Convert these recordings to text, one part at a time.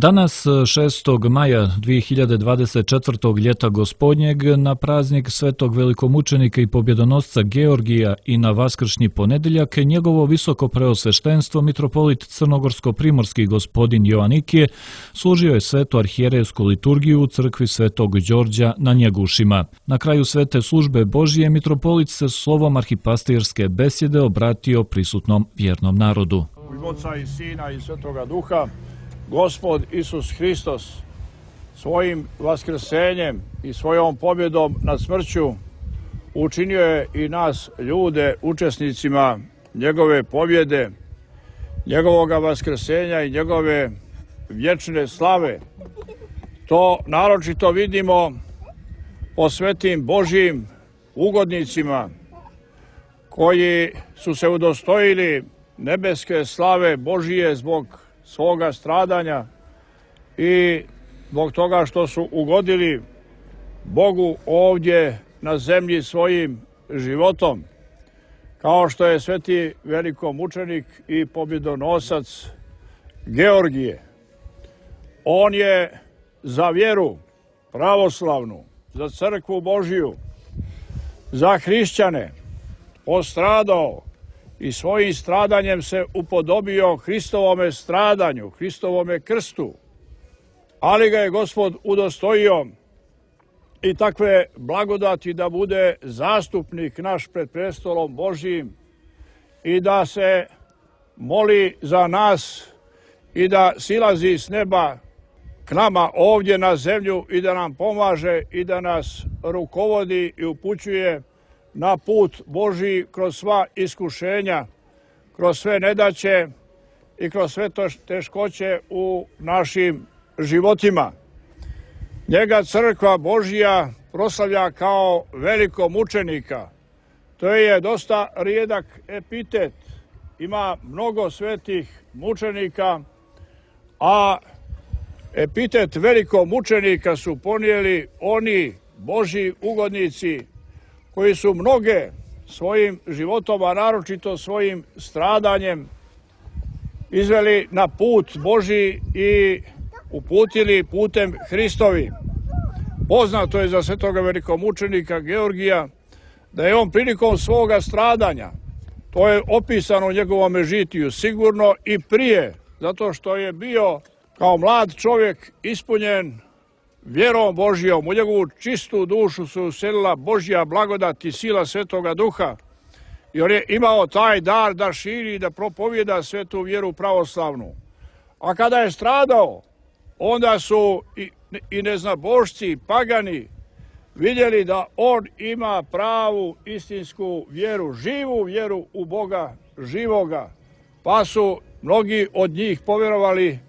Danas, 6. maja 2024. ljeta gospodnjeg, na praznik svetog velikomučenika i pobjedonosca Georgija i na vaskršnji ponedjeljak, njegovo visoko preosveštenstvo mitropolit crnogorsko-primorski gospodin Joanikije služio je svetu arhijerejsku liturgiju u crkvi svetog Đorđa na Njegušima. Na kraju svete službe Božije mitropolit se slovom arhipastirske besjede obratio prisutnom vjernom narodu. U ime Oca i Sina i Svetoga Duha, Gospod Isus Hristos svojim vaskrsenjem i svojom pobjedom nad smrću učinio je i nas ljude učesnicima njegove pobjede, njegovoga vaskrsenja i njegove vječne slave. To naročito vidimo po svetim Božjim ugodnicima koji su se udostojili nebeske slave Božije zbog svoga stradanja i zbog toga što su ugodili Bogu ovdje na zemlji svojim životom, kao što je sveti velikomučenik i pobjedonosac Georgije. On je za vjeru pravoslavnu, za crkvu Božiju, za hrišćane postradao i svojim stradanjem se upodobio Hristovome stradanju, Hristovome krstu, ali ga je Gospod udostojio i takve blagodati da bude zastupnik naš pred prestolom Božjim i da se moli za nas i da silazi s neba k nama ovdje na zemlju i da nam pomaže i da nas rukovodi i upućuje na put Božji kroz sva iskušenja, kroz sve nedaće i kroz sve teškoće u našim životima. Njega crkva Božja proslavlja kao velikomučenika. To je dosta rijedak epitet. Ima mnogo svetih mučenika, a epitet velikomučenika su ponijeli oni Božji ugodnici koji su mnoge svojim životom, a naročito svojim stradanjem, izveli na put Božji i uputili putem Hristovi. Poznato je za svetoga velikomučenika Georgija da je on prilikom svoga stradanja, to je opisano u njegovom žitiju, sigurno i prije, zato što je bio kao mlad čovjek ispunjen vjerom Božjom, u njegovu čistu dušu su uselila Božja blagodat i sila Svetoga Duha i on je imao taj dar da širi i da propovijeda svetu vjeru pravoslavnu. A kada je stradao, onda su i neznabošci, pagani vidjeli da on ima pravu istinsku vjeru, živu vjeru u Boga živoga, pa su mnogi od njih povjerovali,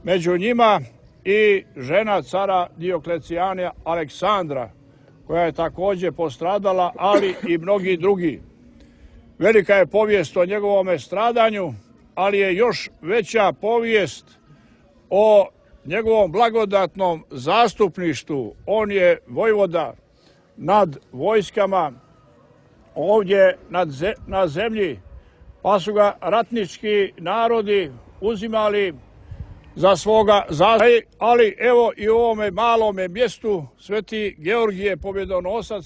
među njima i žena cara Dioklecijana Aleksandra, koja je također postradala, ali i mnogi drugi. Velika je povijest o njegovome stradanju, ali je još veća povijest o njegovom blagodatnom zastupništvu. On je vojvoda nad vojskama ovdje na zemlji, pa su ga ratnički narodi uzimali za svoga zastupnika, ali evo i u ovome malome mjestu sveti Georgije pobjedonosac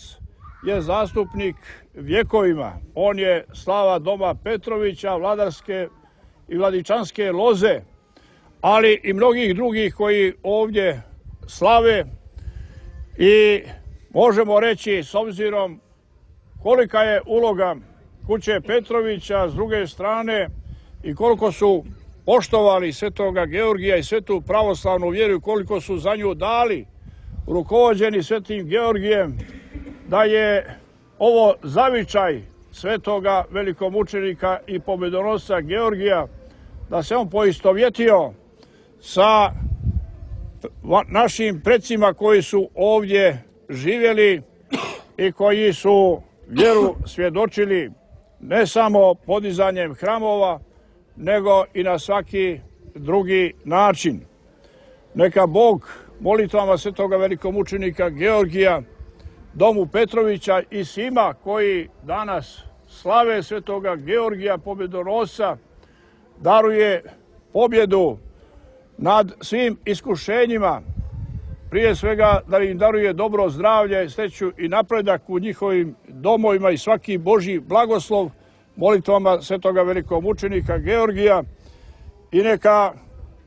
je zastupnik vjekovima. On je slava doma Petrovića, vladarske i vladičanske loze, ali i mnogih drugih koji ovdje slave i možemo reći, s obzirom kolika je uloga kuće Petrovića s druge strane i koliko su poštovali svetoga Georgija i svetu pravoslavnu vjeru, koliko su za nju dali, rukovođeni svetim Georgijem, da je ovo zavičaj svetoga velikomučenika i pobjedonosca Georgija, da se on poistovjetio sa našim predsima koji su ovdje živjeli i koji su vjeru svjedočili ne samo podizanjem hramova, nego i na svaki drugi način. Neka Bog molitvama svetoga velikomučenika Georgija, domu Petrovića i svima koji danas slave svetoga Georgija pobjedonosca daruje pobjedu nad svim iskušenjima, prije svega da im daruje dobro zdravlje, sreću i napredak u njihovim domovima i svaki Božji blagoslov molitvama svetoga velikomučenika Georgija i neka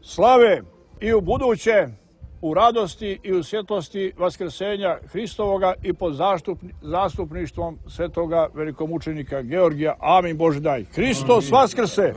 slave i u buduće u radosti i u svjetlosti vaskrsenja Hristovoga i pod zastupništvom svetoga velikomučenika Georgija. Amin Bože daj. Hristos vaskrse!